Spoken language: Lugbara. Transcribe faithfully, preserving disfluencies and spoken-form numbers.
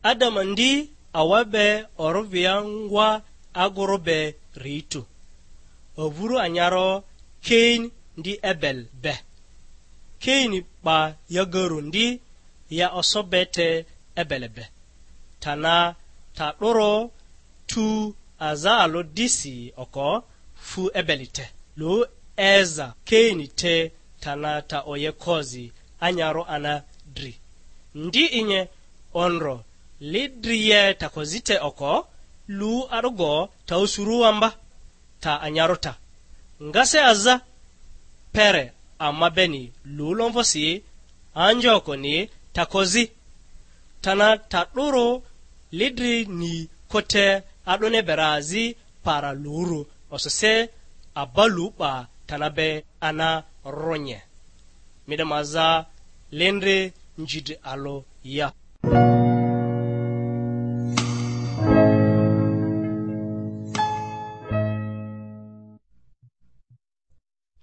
Adama ndi awa be orᴜvia ngwa agoro be ri tu, ovuru anyaro Kain ndi Ebel be. Kain 'ba yagaru ndi ya oso be te Ebel be. Tana ta 'doro tu aza alᴜ disi oko fu Ebeli te, lu eza Kaini te tana ta oye kozi anyaro ana dri. Ndi inye ondro li dri ye ta kozi te oko, lu a'dogo ta usurua mba, ta anyaro ta. Nga se aza pere ama beni lu lomvosi anjokoni ta kozi. Tana ta 'duru lidri ni kote a'dᴜni bera azi para luru osese aba lu 'ba tana be ana ronye. Mi 'de ma za lindri njidri alᴜ ya.